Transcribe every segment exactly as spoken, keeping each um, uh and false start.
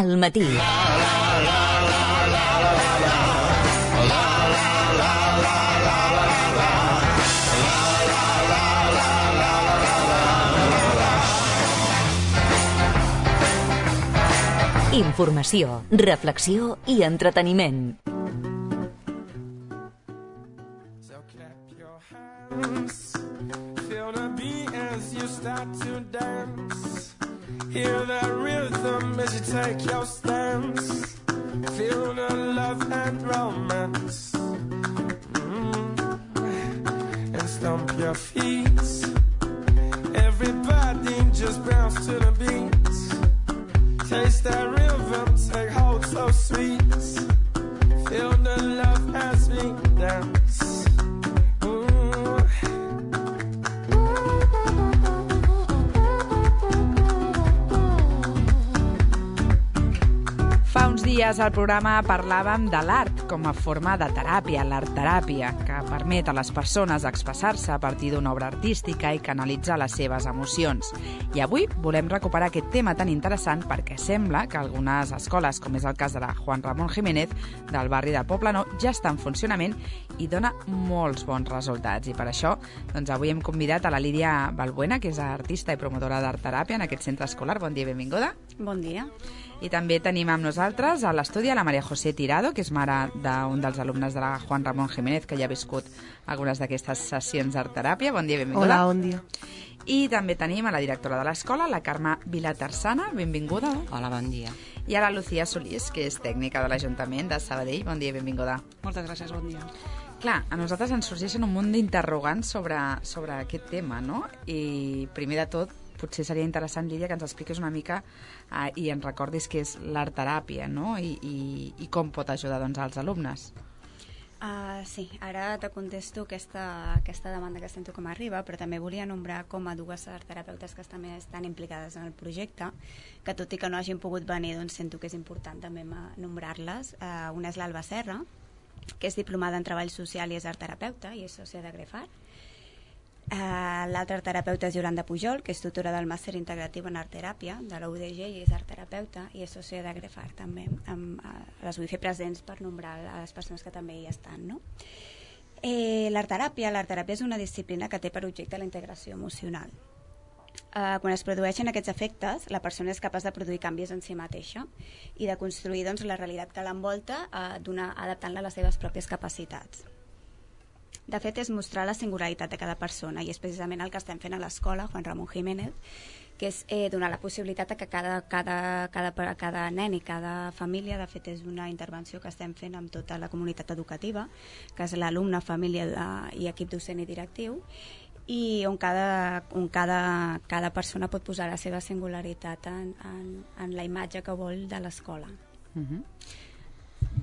al matí. Informació, reflexió i entreteniment. So clap your hands, feel the beat as you start to dance. Hear the rhythm as you take your stance. Feel the love and romance. Mm-hmm. And stomp your feet. Everybody just bounce to the beat. Taste that rhythm, take hold so sweet. Feel the love as we dance. Ooh. Fa uns dies al programa parlàvem de l'art com a forma de teràpia, l'art-teràpia, que permet a les persones expressar-se a partir d'una obra artística i canalitzar les seves emocions. I avui volem recuperar aquest tema tan interessant perquè sembla que algunes escoles, com és el cas de la Juan Ramón Jiménez, del barri del Poblenou, ja està en funcionament i dona molts bons resultats. I per això doncs, avui hem convidat a la Lídia Balbuena, que és artista i promotora d'art-teràpia en aquest centre escolar. Bon dia i benvinguda. Bon dia. I també tenim amb nosaltres a l'estudi a la Maria José Tirado, que és mare d'un dels alumnes de la Juan Ramón Jiménez, que ja ha viscut algunes d'aquestes sessions d'art-teràpia. Bon dia i benvinguda. Hola, bon dia. I també tenim a la directora de l'escola, la Carme Vilatarsana. Benvinguda. Hola, bon dia. I a la Lucía Solís, que és tècnica de l'Ajuntament de Sabadell. Bon dia i benvinguda. Moltes gràcies, bon dia. Clar, a nosaltres ens sorgeixen un munt d'interrogants sobre, sobre aquest tema, no? I primer de tot, potser seria interessant, Lídia, que ens expliquis una mica eh, i ens recordis què és l'art-teràpia, no? I, i, i com pot ajudar doncs, als alumnes. Uh, sí, ara te contesto aquesta, aquesta demanda que sento com arriba, però també volia nombrar com a dues art-terapeutes que també estan implicades en el projecte, que tot i que no hagin pogut venir, doncs sento que és important també nombrar-les. Uh, una és l'Alba Serra, que és diplomada en treball social i és art-terapeuta i és sòcia de Grefart. Uh, L'altra terapeuta és Yolanda Pujol, que és tutora del màster integratiu en art-teràpia de la U D G i és art-terapeuta i és sòcia de Grefart també. Um, uh, les vull fer presents per nombrar a les persones que també hi estan, no? Eh, l'art-teràpia, l'art-teràpia és una disciplina que té per objecte la integració emocional. Uh, quan es produeixen aquests efectes, la persona és capaç de produir canvis en si mateixa i de construir doncs, la realitat que l'envolta, uh, adaptant-la a les seves pròpies capacitats. De fet, és mostrar la singularitat de cada persona i és precisament el que estem fent a l'escola Juan Ramón Jiménez, que és eh, donar la possibilitat que cada, cada, cada, cada nen i cada família, de fet és una intervenció que estem fent amb tota la comunitat educativa, que és l'alumne, família de, i equip docent i directiu, i on cada, on cada, cada persona pot posar la seva singularitat en, en, en la imatge que vol de l'escola. Uh-huh.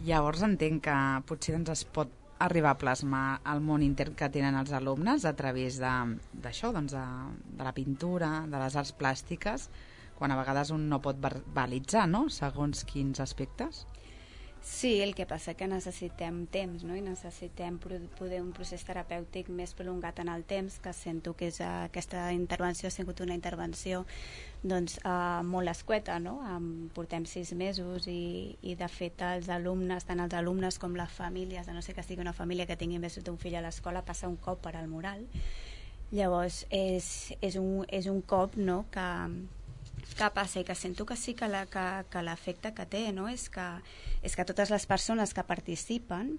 Llavors entenc que potser doncs, es pot arribar a plasmar el món intern que tenen els alumnes a través d'això, doncs de, de la pintura, de les arts plàstiques, quan a vegades un no pot verbalitzar, no?, segons quins aspectes. Sí, el que passa que necessitem temps, no?, i necessitem poder un procés terapèutic més prolongat en el temps, que sento que és, uh, aquesta intervenció ha sigut una intervenció doncs, uh, molt escueta, no? Um, portem sis mesos i, i de fet els alumnes, tant els alumnes com les famílies, a no ser que sigui una família que tingui més d'un fill a l'escola, passa un cop per al moral. Llavors és, és, un, és un cop, no?, que que passa i que sento que sí que l'efecte que, que té, no? és, que, és que totes les persones que participen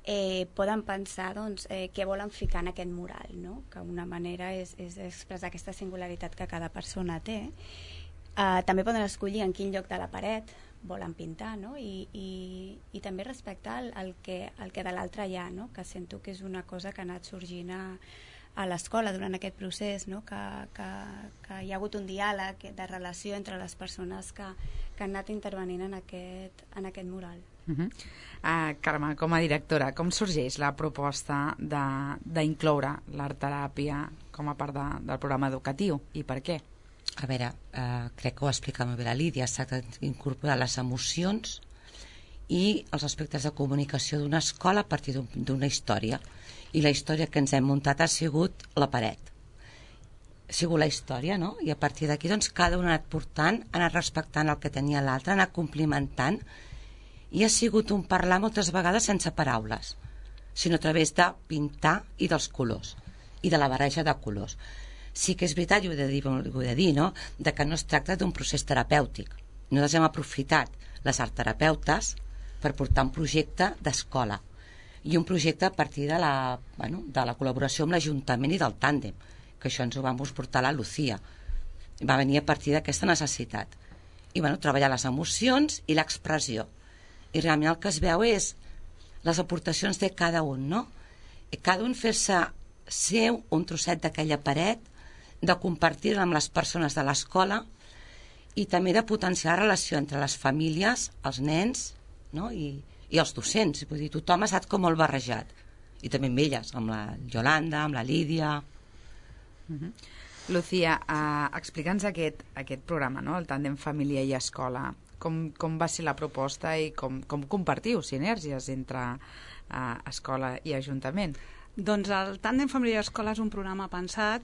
eh, poden pensar doncs, eh, què volen ficar en aquest mural, no? Que una manera és, és expressar aquesta singularitat que cada persona té. Eh, també poden escollir en quin lloc de la paret volen pintar, no? I, i, i també respectar el, el, que, el que de l'altre hi ha, no? Que sento que és una cosa que ha anat sorgint a a l'escola durant aquest procés, no? que, que, que hi ha hagut un diàleg de relació entre les persones que, que han anat intervenint en aquest, en aquest mural. Uh-huh. uh, Carme, com a directora, com sorgeix la proposta d'incloure l'art-teràpia com a part de, del programa educatiu i per què? A veure, eh, crec que ho ha explicat molt bé la Lídia, es tracta d'incorporar les emocions i els aspectes de comunicació d'una escola a partir d'una història. I la història que ens hem muntat ha sigut la paret. ha sigut la història, no? I a partir d'aquí doncs, cada un ha anat portant, ha anat respectant el que tenia l'altre, ha anat complimentant, i ha sigut un parlar moltes vegades sense paraules, sinó a través de pintar i dels colors, i de la barreja de colors. Sí que és veritat, i ho he de dir, ho he de dir no? De que no es tracta d'un procés terapèutic. Nosaltres hem aprofitat les art terapeutes per portar un projecte d'escola, i un projecte a partir de la, bueno, de la col·laboració amb l'Ajuntament i del tàndem, que això ens ho vam portar la Lucía. Va venir a partir d'aquesta necessitat. I bueno, treballar les emocions i l'expressió. I realment el que es veu és les aportacions de cada un, no? I cada un fer-se seu un trosset d'aquella paret, de compartir-la amb les persones de l'escola i també de potenciar la relació entre les famílies, els nens, no? I, i els docents. Vull dir, tothom ha estat com molt barrejat. I també amb elles, amb la Yolanda, amb la Lídia. Uh-huh. Lucía, uh, explica'ns aquest, aquest programa, no? El tàndem família i escola. Com, com va ser la proposta i com, com compartiu sinergies entre uh, escola i ajuntament? Doncs el Tàndem Família i Escola és un programa pensat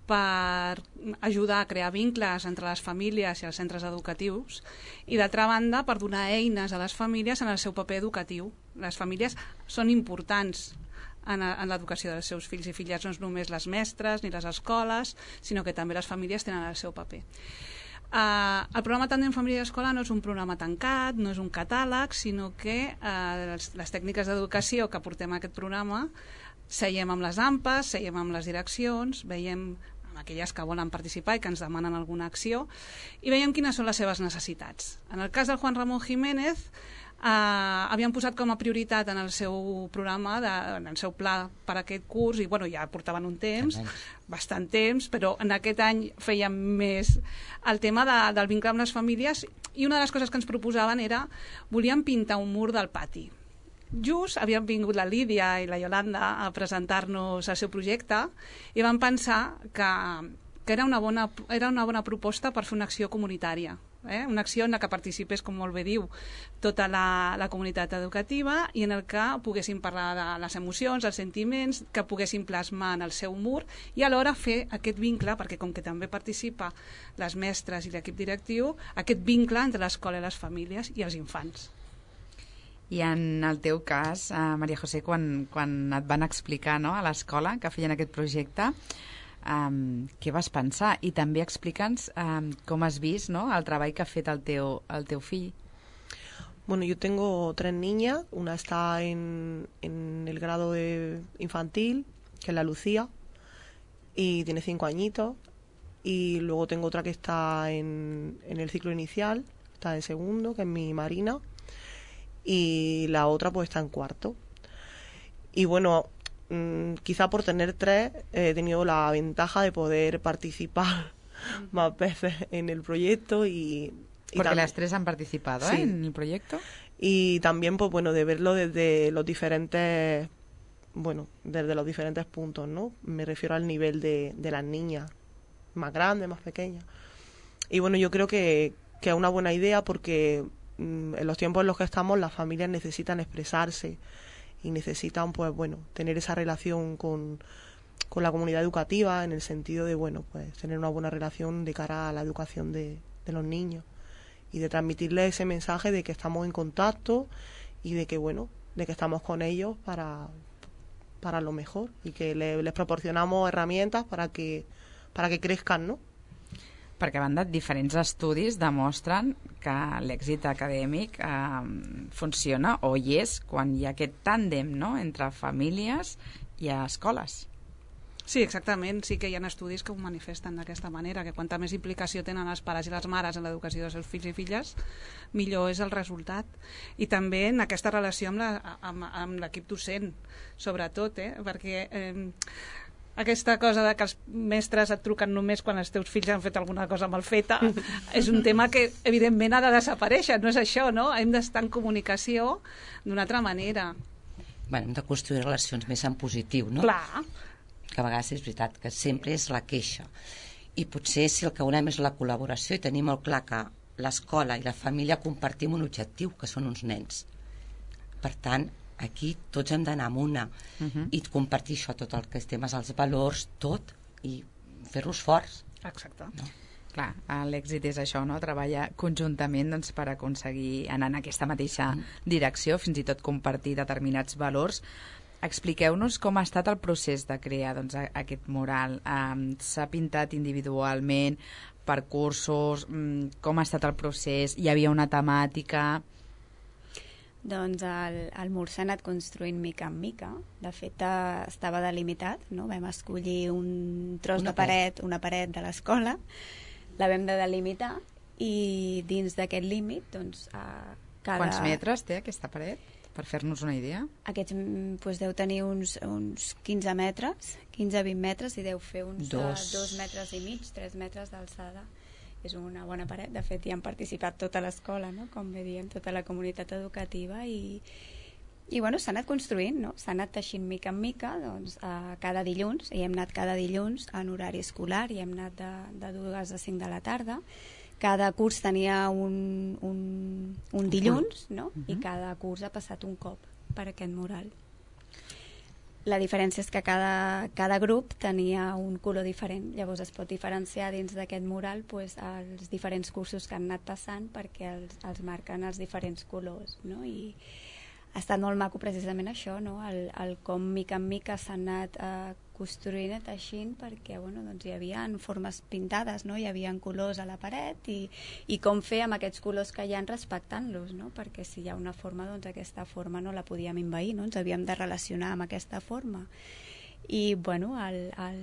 per ajudar a crear vincles entre les famílies i els centres educatius i, d'altra banda, per donar eines a les famílies en el seu paper educatiu. Les famílies són importants en, en l'educació dels seus fills i filles, no és només les mestres ni les escoles, sinó que també les famílies tenen el seu paper. Uh, el programa Tàndem Família i Escola no és un programa tancat, no és un catàleg, sinó que uh, les, les tècniques d'educació que portem a aquest programa seiem amb les A M P A s, seiem amb les direccions, veiem amb aquelles que volen participar i que ens demanen alguna acció i veiem quines són les seves necessitats. En el cas del Juan Ramón Jiménez, eh, havien posat com a prioritat en el seu programa, de, en el seu pla per a aquest curs, i bueno, ja portaven un temps, bastant temps, però en aquest any fèiem més el tema de, del vincle amb les famílies, i una de les coses que ens proposaven era, volíem pintar un mur del pati. Just havien vingut la Lídia i la Yolanda a presentar-nos el seu projecte i vam pensar que, que era, una bona, era una bona proposta per fer una acció comunitària, eh? Una acció en la que participés, com molt bé diu, tota la, la comunitat educativa i en el que poguessin parlar de les emocions, els sentiments, que poguessin plasmar en el seu mur i alhora fer aquest vincle, perquè com que també participa les mestres i l'equip directiu, aquest vincle entre l'escola i les famílies i els infants. I en el teu cas, eh, Maria José, quan, quan et van explicar, no, a l'escola que feien aquest projecte, um, què vas pensar? I també explica'ns um, com has vist, ¿no?, el treball que ha fet el teu, el teu fill. Bueno, yo tengo tres niñas. Una está en, en el grado de infantil, que es la Lucía, y tiene cinco añitos. Y luego tengo otra que está en, en el ciclo inicial, está en segundo, que es mi Marina. Y la otra pues está en cuarto. Y bueno, mmm, quizá por tener tres he tenido la ventaja de poder participar uh-huh. más veces en el proyecto y, y porque las tres han participado, sí, ¿eh?, en el proyecto. Y también pues bueno, de verlo desde los diferentes bueno, desde los diferentes puntos, ¿no? Me refiero al nivel de, de las niñas, más grandes, más pequeñas. Y bueno, yo creo que, que es una buena idea porque en los tiempos en los que estamos las familias necesitan expresarse y necesitan pues bueno tener esa relación con, con la comunidad educativa, en el sentido de bueno pues tener una buena relación de cara a la educación de, de los niños y de transmitirles ese mensaje de que estamos en contacto y de que bueno de que estamos con ellos para, para lo mejor y que le, les proporcionamos herramientas para que, para que crezcan, ¿no? Perquè, a banda, diferents estudis demostren que l'èxit acadèmic eh, funciona o hi és quan hi ha aquest tàndem, no?, entre famílies i escoles. Sí, exactament. Sí que hi ha estudis que ho manifesten d'aquesta manera, que quanta més implicació tenen els pares i les mares en l'educació dels seus fills i filles, millor és el resultat. I també en aquesta relació amb, la, amb, amb l'equip docent, sobretot, eh? perquè... Eh, aquesta cosa de que els mestres et truquen només quan els teus fills han fet alguna cosa mal feta és un tema que evidentment ha de desaparèixer, no és això, no? Hem d'estar en comunicació d'una altra manera. Bueno, hem de construir relacions més en positiu, no? Clar. Que a vegades és veritat, que sempre és la queixa. I potser si el que volem és la col·laboració i tenim molt clar que l'escola i la família compartim un objectiu, que són uns nens. Per tant, aquí tots hem d'anar amb una uh-huh. i compartir això, tot el que és temes, els valors, tot, i fer-los forts. Exacte. No? Clar, l'èxit és això, no? Treballar conjuntament doncs, per aconseguir anar en aquesta mateixa direcció, fins i tot compartir determinats valors. Expliqueu-nos com ha estat el procés de crear doncs, aquest mural. Um, S'ha pintat individualment, per cursos, um, com ha estat el procés? Hi havia una temàtica? Doncs el, el mur s'ha anat construint mica en mica. De fet, eh, estava delimitat, no? Vam escollir un tros Una de paret, una paret de l'escola, la vam de delimitar i dins d'aquest límit, doncs, eh, cada... Quants metres té aquesta paret? Per fer-nos una idea. Aquests mm, doncs, deu tenir uns, uns quinze metres, quinze a vint metres, i deu fer uns Dos. dos, dos metres i mig, tres metres d'alçada. És una bona paret. De fet, hi han participat tota l'escola, no? Com bé diem, tota la comunitat educativa i, i bueno, s'ha anat construint, no? S'ha anat teixint mica en mica, doncs, a cada dilluns, i hem anat cada dilluns en horari escolar, i hem anat de, de dues a cinc de la tarda. Cada curs tenia un, un, un dilluns, no? Uh-huh. I cada curs ha passat un cop per aquest mural. La diferència és que cada, cada grup tenia un color diferent, llavors es pot diferenciar dins d'aquest mural pues, els diferents cursos que han anat passant perquè els, els marquen els diferents colors, no? I ha estat molt maco precisament això, no? el, el com mica en mica s'ha anat eh, construint i teixint perquè bueno, doncs hi havia formes pintades, no? Hi havia colors a la paret i, i com fer amb aquests colors que hi ha respectant-los, no? Perquè si hi ha una forma, doncs aquesta forma no la podíem envair, no? Ens havíem de relacionar amb aquesta forma. I bueno, el, el,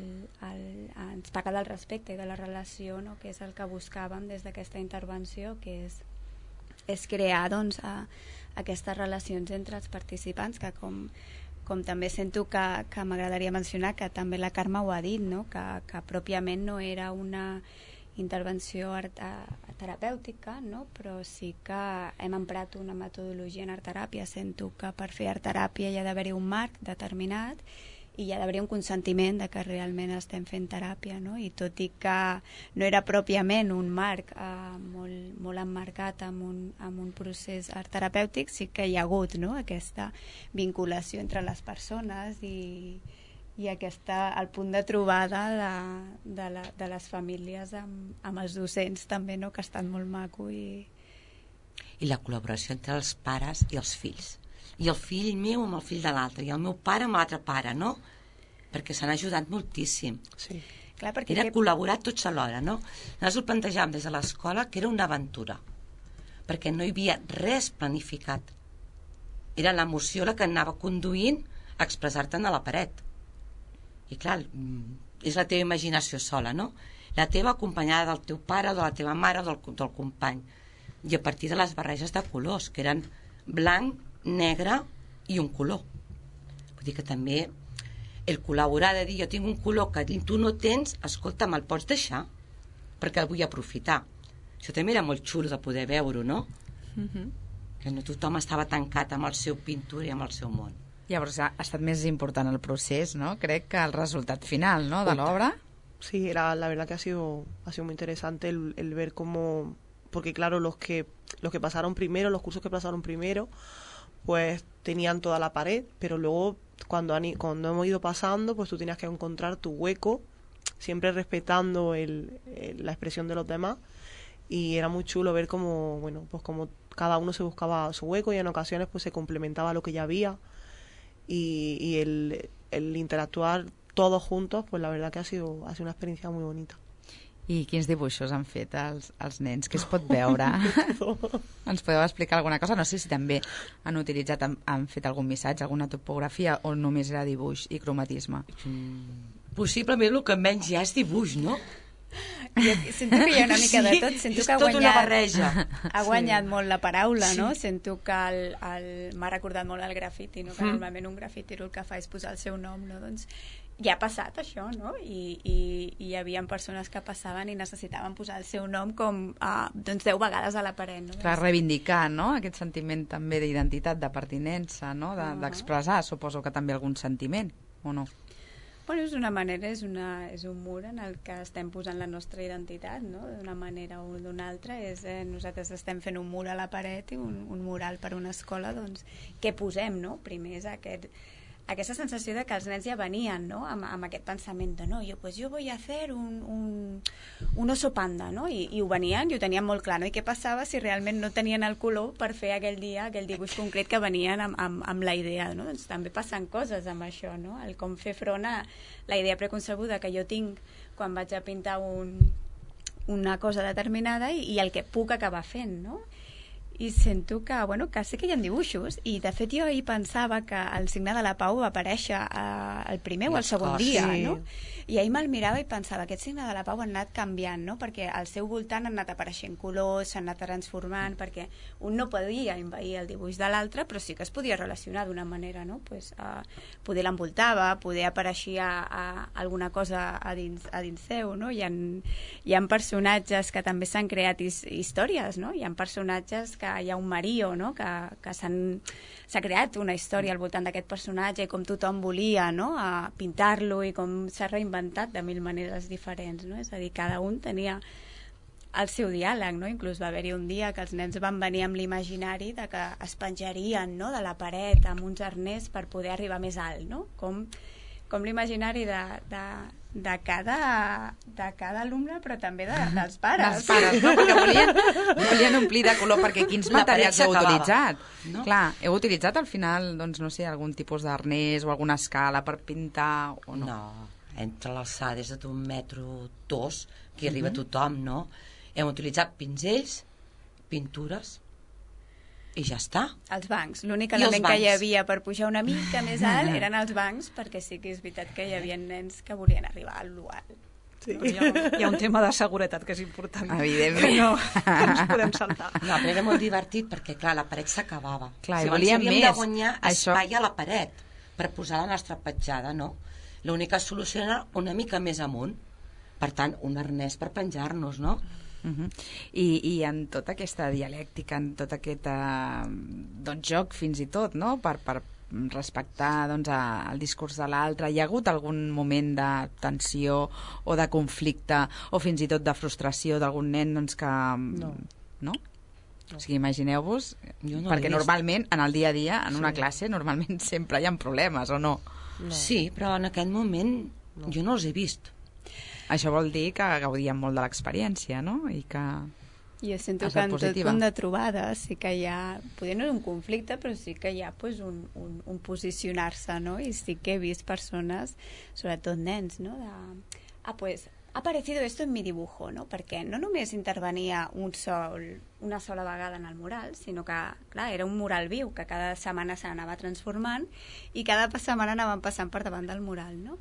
el, ens parla del respecte i de la relació, no? Que és el que buscàvem des d'aquesta intervenció, que és, és crear doncs, a, aquestes relacions entre els participants, que com, com també sento que, que m'agradaria mencionar, que també la Carme ho ha dit, no? que, que pròpiament no era una intervenció art, a, terapèutica, no? Però sí que hem emprat una metodologia en art-teràpia. Sento que per fer art-teràpia hi ha d'haver-hi un marc determinat i hi ha d'haver un consentiment de que realment estem fent teràpia, no? I tot i que no era pròpiament un marc eh, molt, molt emmarcat amb un, amb un procés art terapèutic, sí que hi ha hagut, no? Aquesta vinculació entre les persones i, i aquesta, el punt de trobada de, de, la, de les famílies amb, amb els docents també, no? Que ha estat molt maco i... I la col·laboració entre els pares i els fills. I el fill meu amb el fill de l'altre, i el meu pare amb l'altre pare, no? Perquè s'han ajudat moltíssim. Sí. Clar, perquè era que... col·laborar tots alhora, no? Nosaltres ho plantejàvem des de l'escola que era una aventura, perquè no hi havia res planificat. Era l'emoció la que anava conduint a expressar-te'n a la paret. I clar, és la teva imaginació sola, no? La teva acompanyada del teu pare, o de la teva mare, o del, del company. I a partir de les barreges de colors, que eren blanc, negre i un color. Vull dir que també el col·laborar, de dir jo tinc un color que tu no tens, escolta, me'l pots deixar perquè el vull aprofitar. Això també era molt xulo de poder veure-ho, no? Uh-huh. Que no tothom estava tancat amb el seu pintura i amb el seu món. Llavors ha estat més important el procés, ¿no? Crec que el resultat final, ¿no? De l'obra. Sí, era, la verdad que ha sido, ha sido muy interesante el, el ver cómo, porque claro, los que, los que pasaron primero, los cursos que pasaron primero, pues tenían toda la pared, pero luego cuando, han, cuando hemos ido pasando, pues tú tenías que encontrar tu hueco, siempre respetando el, el, la expresión de los demás, y era muy chulo ver cómo, bueno, pues como cada uno se buscaba su hueco y en ocasiones pues se complementaba lo que ya había, y, y el, el interactuar todos juntos, pues la verdad que ha sido, ha sido una experiencia muy bonita. I quins dibuixos han fet els, els nens? Què es pot veure? Ens podeu explicar alguna cosa? No sé si també han utilitzat, han, han fet algun missatge, alguna topografia, o només era dibuix i cromatisme? Mm, possiblement el que menys hi ha és dibuix, no? Jo sento que hi ha una mica de tot. Sento és que ha tota guanyat, una barreja. ha guanyat sí. molt la paraula, Sí. no? Sento que el, el, m'ha recordat molt el grafiti, no? Que Mm. normalment un grafitero el que fa és posar el seu nom, no? Doncs ja ha passat això, no? I, i, i hi havia persones que passaven i necessitaven posar el seu nom com uh, doncs deu vegades a la paret, no? Per reivindicar, no?, aquest sentiment també d'identitat, de pertinença, no?, de, Uh-huh. d'expressar, suposo que també algun sentiment, o no? Bueno, és una manera, és, una, és un mur en el que estem posant la nostra identitat, no? D'una manera o d'una altra. És, eh, nosaltres estem fent un mur a la paret i un, un mural per una escola, doncs, què posem, no? Primer és aquest, aquesta sensació de que els nens ja venien, no?, amb, amb aquest pensament de no, jo, pues yo voy a hacer un, un, un oso panda, no? I, i ho venien i ho tenien molt clar, no? I què passava si realment no tenien el color per fer aquell dia, aquell dibuix concret que venien amb, amb, amb la idea, no? Doncs també passen coses amb això, no? El com fer front a la idea preconcebuda que jo tinc quan vaig a pintar un, una cosa determinada i, i el que puc acabar fent, no? I sento que, bueno, que sí que hi ha dibuixos i de fet jo ahir pensava que el signe de la pau va aparèixer eh, el primer o el segon dia, sí. no? I ahir me'l mirava i pensava aquest signe de la pau ha anat canviant, no? Perquè al seu voltant han anat apareixent colors, s'han anat transformant, perquè un no podia envair el dibuix de l'altre, però sí que es podia relacionar d'una manera, no? Pues, eh, poder l'envoltava, poder apareixia a, a alguna cosa a dins, a dins seu, no? Hi ha, hi ha personatges que també s'han creat his, històries, no? Hi ha personatges que hi ha un Mario, no? que, que s'ha creat una història al voltant d'aquest personatge i com tothom volia, no? a pintar-lo i com s'ha reinventat de mil maneres diferents, no? És a dir, cada un tenia el seu diàleg, no? Inclús va haver-hi un dia que els nens van venir amb l'imaginari de que es penjarien, no?, de la paret amb uns arners per poder arribar més alt, no? Com, com l'imaginari de, de, de cada, de cada alumne, però també de, dels pares. Dels pares, no? Perquè volien, volien omplir de color, perquè quins La materials paret heu s'acabava, utilitzat? no? Clar, heu utilitzat al final, doncs, no sé, algun tipus d'arnès o alguna escala per pintar o no? No, entre l'alçada és d'un metro dos, que arriba uh -huh. tothom, no? Hem utilitzat pinzells, pintures, i ja està. Els bancs. L'únic I element els que hi bancs. havia per pujar una mica més alt eren els bancs, perquè sí que és veritat que hi havia nens que volien arribar a l'alt. Sí. Hi ha, hi ha un tema de seguretat que és important. Evidentment. Que no, que no ens podem saltar. No, però era molt divertit perquè, clar, la paret s'acabava. Clar, i Llavors volíem havíem més. de guanyar Això- espai a la paret per posar la nostra petjada, no? L'única solució era una mica més amunt. Per tant, un arnès per penjar-nos, no? Uh -huh. I, I en tota aquesta dialèctica, en tot aquest eh, doncs, joc fins i tot, no?, per, per respectar doncs, a, el discurs de l'altre, hi ha hagut algun moment de tensió o de conflicte o fins i tot de frustració d'algun nen doncs, que... No. No? O sigui, imagineu-vos, Jo no perquè l'he vist. normalment en el dia a dia, en una Sí. classe, normalment sempre hi ha problemes, o no? No. Sí, però en aquest moment No. jo no els he vist. Això vol dir que gaudíem molt de l'experiència, no? I que... Jo sento Ha que estat en tot positiva. punt de trobada sí que hi ha, potser no és un conflicte, però sí que hi ha pues, un, un, un posicionar-se, no? I sí que he vist persones, sobretot nens, no? De, ah, pues, ha aparecido esto en mi dibujo, no? Perquè no només intervenia un sol, una sola vegada en el mural, sinó que, clar, era un mural viu, que cada setmana s'anava transformant i cada setmana anaven passant per davant del mural, no?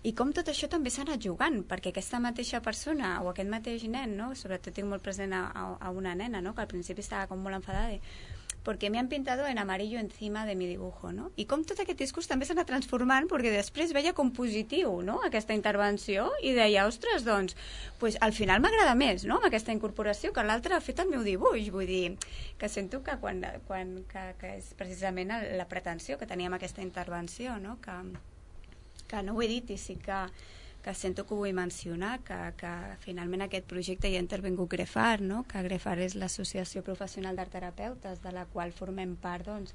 I com tot això també s'ha anat jugant, perquè aquesta mateixa persona o aquest mateix nen, no? Sobretot tinc molt present a, a, a una nena, no? Que al principi estava com molt enfadada de porque me han pintado en amarillo encima de mi dibujo, no? I com tot aquest discurs també s'ha anat transformant, perquè després veia com positiu, no?, aquesta intervenció, i deia, ostres, doncs, pues, al final m'agrada més, no?, amb aquesta incorporació, que l'altre ha fet el meu dibuix, vull dir, que sento que quan, quan que, que és precisament la pretensió que teníem aquesta intervenció, no?, que, que no ho he dit i sí que que sento que ho vull mencionar, que, que finalment aquest projecte hi ha intervingut Grefar, no? Que Grefar és l'Associació Professional d'Artterapeutes, de la qual formem part, doncs,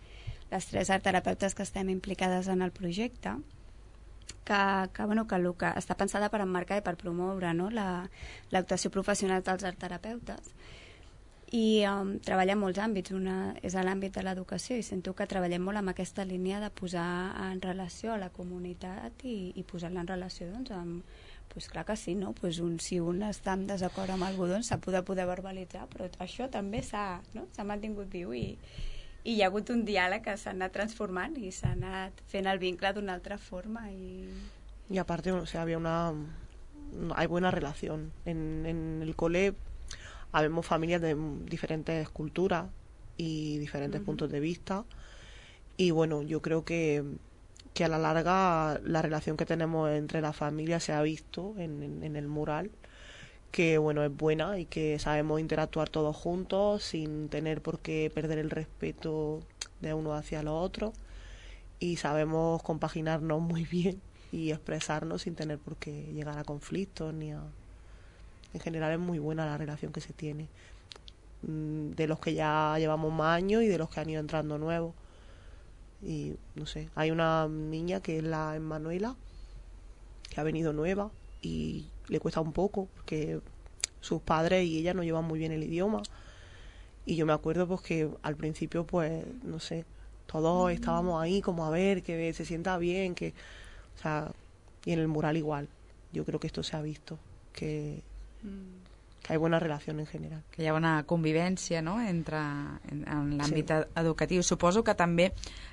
les tres artterapeutes que estem implicades en el projecte, que, que, bueno, que, el que està pensada per emmarcar i per promoure, no? l'actuació professional dels artterapeutes. I um, treballem molts àmbits. Una és l'àmbit de l'educació i sento que treballem molt amb aquesta línia de posar en relació a la comunitat i, i posar-la en relació, doncs, amb, pues clar que sí, no? Pues un, si un està en desacord amb algú, doncs s'ha de poder verbalitzar, però això també s'ha, no? s'ha mantingut viu i, i hi ha hagut un diàleg que s'ha anat transformant i s'ha anat fent el vincle d'una altra forma. Y, y aparte, o sea, había una... hay buena relación. En, en el cole habemos familias de diferentes culturas y diferentes uh-huh. puntos de vista. Y bueno, yo creo que, que a la larga la relación que tenemos entre las familias se ha visto en, en, en el mural, que bueno, es buena y que sabemos interactuar todos juntos sin tener por qué perder el respeto de uno hacia los otros, y sabemos compaginarnos muy bien y expresarnos sin tener por qué llegar a conflictos ni a... En general es muy buena la relación que se tiene, de los que ya llevamos más años y de los que han ido entrando nuevos. Y no sé, hay una niña que es la Emanuela, que ha venido nueva y le cuesta un poco porque sus padres y ella no llevan muy bien el idioma. Y yo me acuerdo pues que al principio pues no sé, todos estábamos ahí como a ver que se sienta bien, que o sea, y en el mural igual. Yo creo que esto se ha visto, que, que hay buena relación en general. Que hi ha una convivència, no?, entre, en, en l'àmbit Sí. educatiu. Suposo que també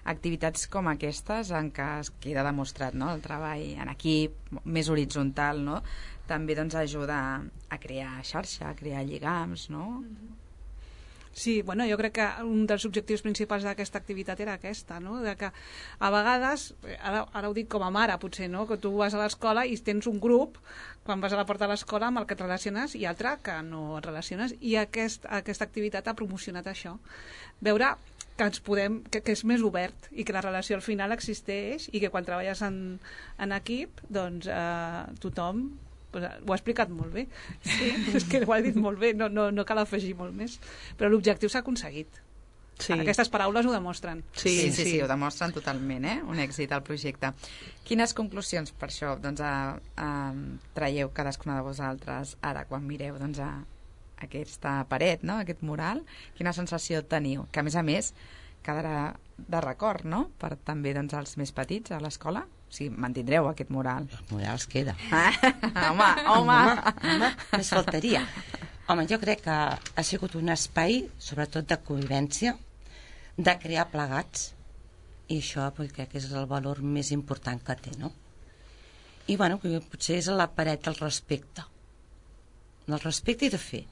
activitats com aquestes en què es queda demostrat, no?, el treball en equip, més horitzontal, no?, també doncs ajuda a crear xarxa, a crear lligams, no? Sí, bueno, jo crec que un dels objectius principals d'aquesta activitat era aquesta, no? De que a vegades, ara, ara ho dic com a mare potser, no? Que tu vas a l'escola i tens un grup, quan vas a la porta de l'escola, amb el que et relaciones, i altre que no et relaciones, i aquest, aquesta activitat ha promocionat això. Veure que ens podem, que, que és més obert i que la relació al final existeix i que quan treballes en, en equip, doncs eh, tothom pues, ho ha explicat molt bé. Sí, és que ho ha dit molt bé, no, no, no cal afegir molt més. Però l'objectiu s'ha aconseguit. Sí. Aquestes paraules ho demostren. Sí, sí, sí, sí, ho demostren totalment, eh? Un èxit al projecte. Quines conclusions per això doncs, a, a, traieu cadascuna de vosaltres ara quan mireu doncs, a aquesta paret, no?, aquest mural? Quina sensació teniu? Que a més a més quedarà de record, no?, per també doncs, els més petits a l'escola? O sigui, mantindreu aquest mural. El mural es queda. Ah, home, home. home, home, més faltaria. Home, jo crec que ha sigut un espai, sobretot de convivència, de crear plegats, i això pues, crec que és el valor més important que té, no? I, bueno, potser és la paret del respecte. Del respecte i de fer.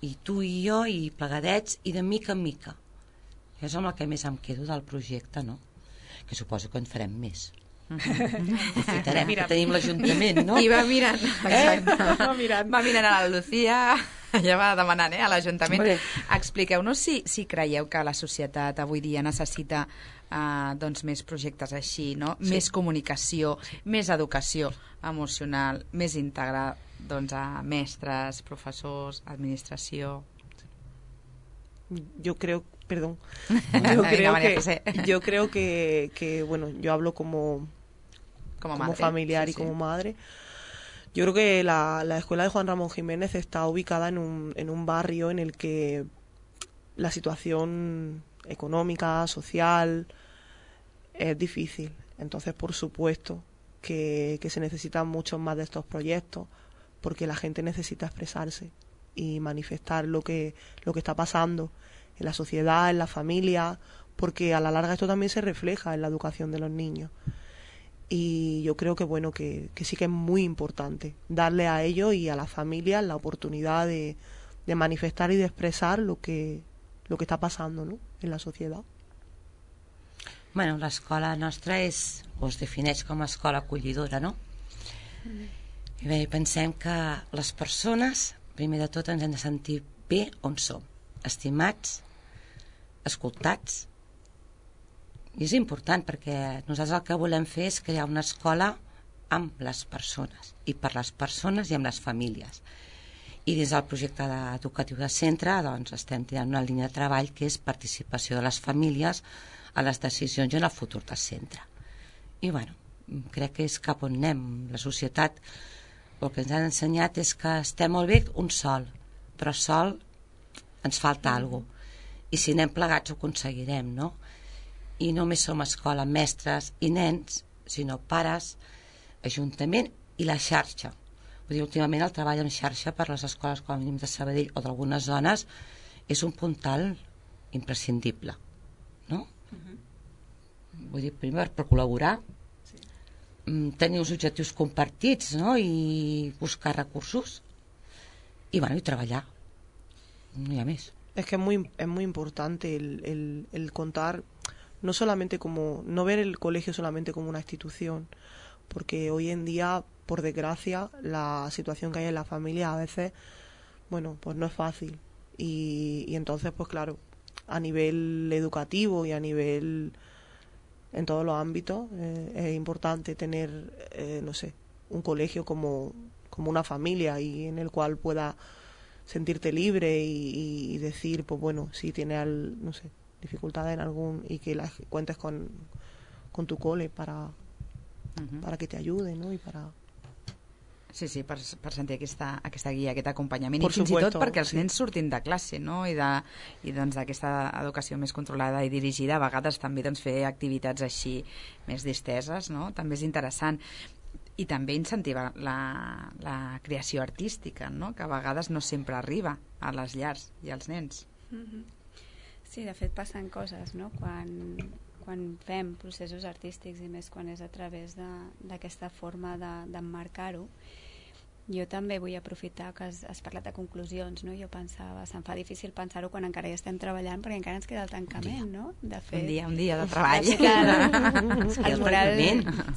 I tu i jo, i plegadets, i de mica en mica. Això és amb el que més em quedo del projecte, no? Que suposo que en farem més. Aprofitarem que tenim l'Ajuntament, no? I va mirant, exacte. Eh? Va mirant. Va mirant a la Lucía, ja va demanant, eh, a l'Ajuntament. Hombre. Expliqueu-nos si, si creieu que la societat avui dia necessita eh, doncs, més projectes així, no? Sí. Més comunicació, sí. Més educació emocional, més íntegra doncs, a mestres, professors, administració. Yo creo, perdón, Venga, yo creo María que, José. yo creo que, que, bueno, yo hablo como, Como, como madre. familiar Sí, y sí. como madre. Yo creo que la, la escuela de Juan Ramón Jiménez está ubicada en un, en un barrio en el que la situación económica, social, es difícil. Entonces, por supuesto, que, que se necesitan muchos más de estos proyectos, porque la gente necesita expresarse y manifestar lo que, lo que está pasando en la sociedad, en la familia, porque a la larga esto también se refleja en la educación de los niños. Y yo creo que bueno que, que sí que es muy importante darle a ellos y a las familias la oportunidad de, de manifestar y de expresar lo que, lo que está pasando, ¿no?, en la sociedad. Bueno, l'escola nostra és, o es defineix com a escola acollidora, no? I bé, pensem que les persones, primer de tot, ens hem de sentir bé on som, estimats, escoltats. I és important perquè nosaltres el que volem fer és crear una escola amb les persones, i per les persones i amb les famílies. I dins del projecte educatiu de centre doncs, estem tirant una línia de treball que és participació de les famílies a les decisions i en el futur del centre. I bueno, crec que és cap on anem. La societat el que ens han ensenyat és que estem molt bé un sol, però sol ens falta alguna cosa. I si anem plegats ho aconseguirem, no? I no només som escola, mestres i nens, sinó pares, ajuntament i la xarxa. Vull dir, últimament el treball en xarxa per les escoles com a mínim de Sabadell o d'algunes zones és un puntal imprescindible, no? Vull dir, primer per col·laborar, sí. Tenir uns objectius compartits, no?, i buscar recursos i, bueno, y treballar. No hi ha més. Es que es muy, es muy importante el, el, el contar, no solamente como, no ver el colegio solamente como una institución, porque hoy en día, por desgracia, la situación que hay en la familia a veces, bueno, pues no es fácil. Y, y entonces, pues claro, a nivel educativo y a nivel, en todos los ámbitos, eh, es importante tener, eh, no sé, un colegio como, como una familia y en el cual pueda sentirte libre y, y decir, pues bueno, si tiene al, no sé, dificultades en algún, y que las cuentes con, con tu cole para, uh-huh. para que te ayude, ¿no? Y para... Sí, sí, per, per sentir aquesta, aquesta guia, aquest acompanyament, Por i fins supuesto, i tot perquè els sí. nens surtin de classe, no? I, de, i doncs d'aquesta educació més controlada i dirigida, a vegades també doncs, fer activitats així més disteses, no? També és interessant. I també incentivar la, la creació artística, no? Que a vegades no sempre arriba a les llars i als nens. Mm-hmm. Sí, de fet passen coses, no? Quan, quan fem processos artístics i més quan és a través d'aquesta forma d'emmarcar-ho. Jo també vull aprofitar que has, has parlat de conclusions, no? Jo pensava, se'm fa difícil pensar-ho quan encara hi estem treballant perquè encara ens queda el tancament, no? De fet, un dia, un dia de treball. De fet, el, el mural,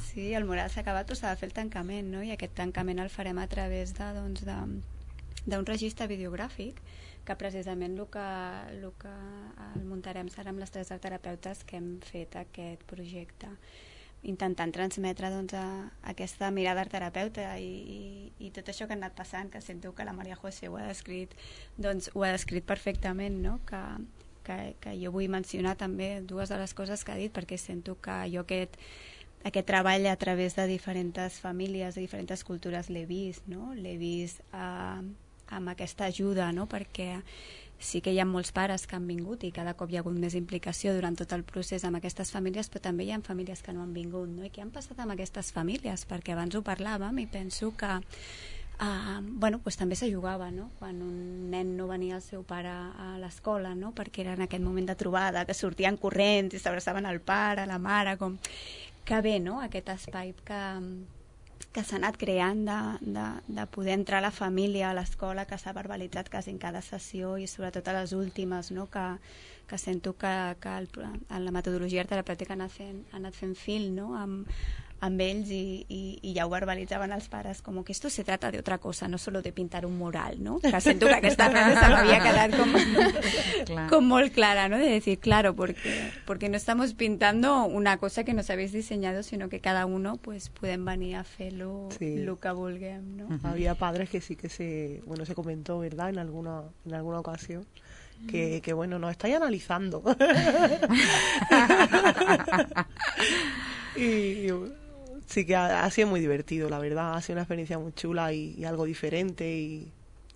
sí, el mural s'ha acabat, però s'ha de fer el tancament, no? I aquest tancament el farem a través de, doncs, de, d'un registre videogràfic que precisament el que, el que el muntarem serà amb les tres terapeutes que hem fet aquest projecte, intentant transmetre doncs, a, a aquesta mirada terapeuta i, i, i tot això que ha anat passant, que sento que la Maria José ho ha descrit, doncs, ho ha descrit perfectament, no? que, que, que jo vull mencionar també dues de les coses que ha dit, perquè sento que jo aquest, aquest treball a través de diferents famílies, de diferents cultures l'he vist, no? L'he vist eh, amb aquesta ajuda, no? Perquè sí que hi ha molts pares que han vingut i cada cop hi ha hagut més implicació durant tot el procés amb aquestes famílies, però també hi ha famílies que no han vingut, no? I què han passat amb aquestes famílies? Perquè abans ho parlàvem i penso que uh, bueno, pues també se jugava, no? Quan un nen no venia el seu pare a l'escola, no? Perquè era en aquest moment de trobada, que sortien corrents i s'abraçaven al pare, a la mare, com... que bé, no? Aquest espai que... que s'ha anat creant de, de, de poder entrar a la família a l'escola, que s'ha verbalitzat quasi en cada sessió i sobretot a les últimes, no? que, que sento que, que el, en la metodologia terapèutica ha anat fent, ha anat fent fil, no? amb, amb ells i, i, i ja ho verbalitzaven els pares com que esto se trata de otra cosa, no solo de pintar un mural, ¿no? Que sento que aquesta frase se m'havia quedat com, com molt clara, ¿no? De decir, claro, porque, porque no estamos pintando una cosa que nos habéis diseñado, sino que cada uno pues pueden venir a fer lo, sí. lo que vulguem, ¿no? Uh-huh. Había padres que sí que se, bueno, se comentó, ¿verdad? En alguna, en alguna ocasión. Que, que bueno, nos estáis analizando. y, y sí que ha, ha sido muy divertido, la verdad. Ha sido una experiencia muy chula y, y algo diferente. Y,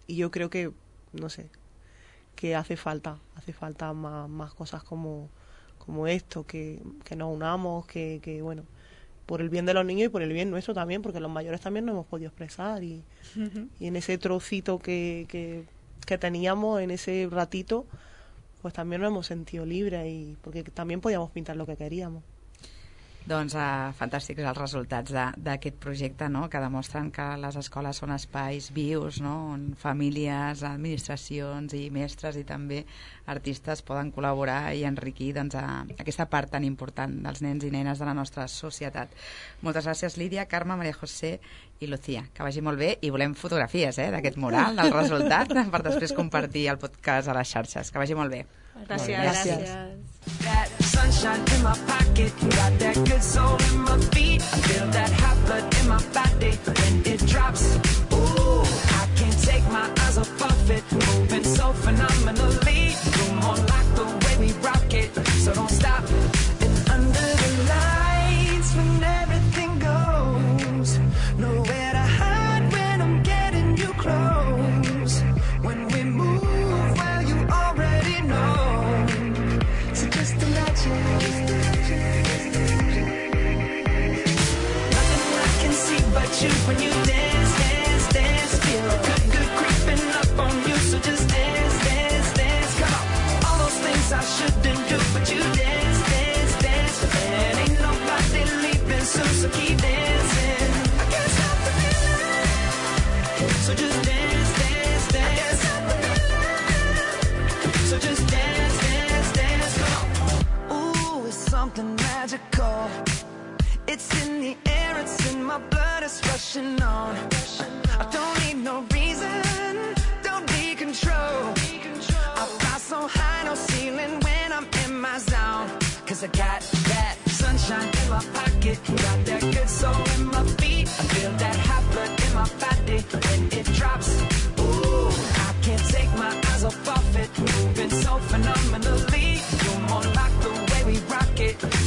y yo creo que, no sé, que hace falta, hace falta más, más cosas como, como esto, que, que nos unamos, que, que, bueno, por el bien de los niños y por el bien nuestro también, porque los mayores también no hemos podido expresar. Y, uh-huh. y en ese trocito que... que que teníamos en ese ratito, pues también nos hemos sentido libres y porque también podíamos pintar lo que queríamos. Doncs uh, fantàstics els resultats d'aquest projecte, no? Que demostren que les escoles són espais vius, no? On famílies, administracions i mestres i també artistes poden col·laborar i enriquir doncs, a aquesta part tan important dels nens i nenes de la nostra societat. Moltes gràcies, Lídia, Carme, Maria José i Lucía. Que vagi molt bé i volem fotografies eh, d'aquest mural, del resultat, per després compartir el podcast a les xarxes. Que vagi molt bé. Gràcies. Gràcies. That sunshine in my pocket, got that good soul in my feet. I feel that hot blood in my body when it drops. Ooh, I can't take my eyes off of it, moving so phenomenally. You're more like the way we rock it, so don't stop. And under the lights, when everything goes, nowhere to hide when I'm getting you close. When we move, well, you already know. Just imagine. Nothing I can see but you when you dance, dance, dance. Feel good, good creeping up on you. So just dance, dance, dance. Come on. All those things I shouldn't do, but you dance, dance, dance. And ain't nobody leaving soon, so keep dancing. I can't stop the feeling. So just dance, dance, dance. I can't stop the feeling. So just dance, dance, dance. Come on. Something magical. It's in the air, it's in my blood, it's rushing on. I don't need no reason, don't need control. I fly so high, no ceiling when I'm in my zone. Cause I got that sunshine in my pocket, got that good soul in my feet. I feel that hot blood in my body when it drops. Ooh, I can't take my eyes off of it, moving so phenomenally. You're more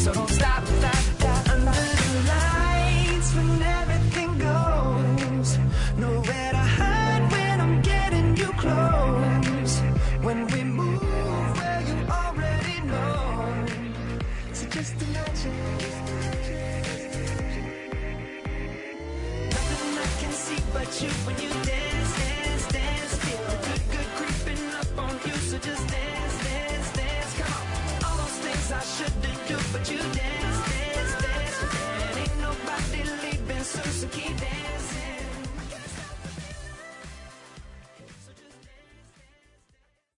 So don't stop, stop, stop. Under the lights when everything goes, nowhere to hide when I'm getting you close. When we move where you already know, so just imagine. Nothing I can see but you when you dance.